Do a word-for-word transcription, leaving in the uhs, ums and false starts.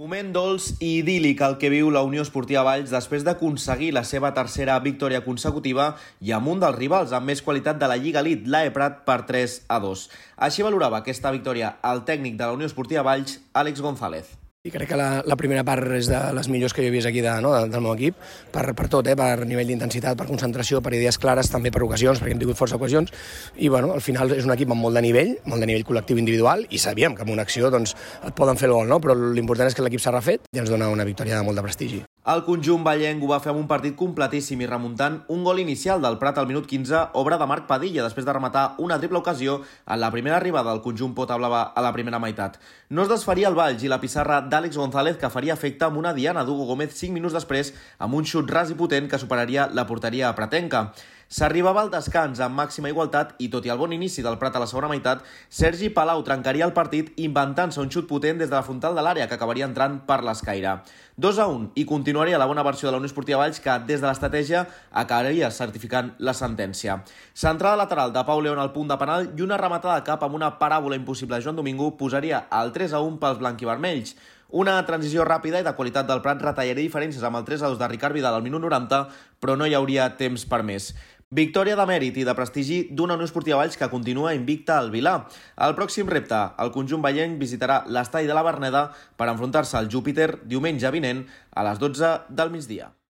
Moment dolç i idíl·lic el que viu la Unió Esportiva Valls després d'aconseguir la seva tercera victòria consecutiva i amb un dels rivals amb més qualitat de la Lliga Elite, l'A E Prat, per tres a dos. Així valorava aquesta victòria el tècnic de la Unió Esportiva Valls, Àlex González. I crec que la, la primera part és de les millors que jo he vist aquí de, no, del meu equip, per, per tot, eh, per nivell d'intensitat, per concentració, per idees clares, també per ocasions, perquè hem tingut força ocasions, i bueno, al final és un equip amb molt de nivell, molt de nivell col·lectiu individual, i sabíem que amb una acció doncs, et poden fer el gol, no? Però l'important és que l'equip s'ha refet i ens dona una victòria de molt de prestigi. El conjunt vallenc ho va fer amb un partit completíssim i remuntant un gol inicial del Prat al minut quinze, obra de Marc Padilla, després de rematar una triple ocasió en la primera arribada del conjunt Pota Blava a la primera meitat. No es desfaria el Valls i la pissarra d'Àlex González, que faria efecte amb una diana d'Hugo Gómez cinc minuts després amb un xut ras i potent que superaria la porteria pratenca. S'arribava al descans amb màxima igualtat i, tot i el bon inici del Prat a la segona meitat, Sergi Palau trencaria el partit inventant-se un xut potent des de la frontal de l'àrea que acabaria entrant per l'escaire. dos a un i continuaria la bona versió de la Unió Esportiva Valls, que des de l'estratègia acabaria certificant la sentència. Centrada lateral de Pau León al punt de penal i una rematada de cap amb una paràbola impossible de Joan Domingo posaria el tres a un pels blanquivermells. Una transició ràpida i de qualitat del Prat retallaria diferències amb el tres a dos de Ricard Vidal al minut noranta, però no hi hauria temps per més. Victòria de mèrit i de prestigi d'una Unió Esportiva Valls que continua invicta al Vilar. El pròxim repte, el conjunt vallenc visitarà l'estadi de la Verneda per enfrontar-se al Júpiter diumenge vinent a les dotze del migdia.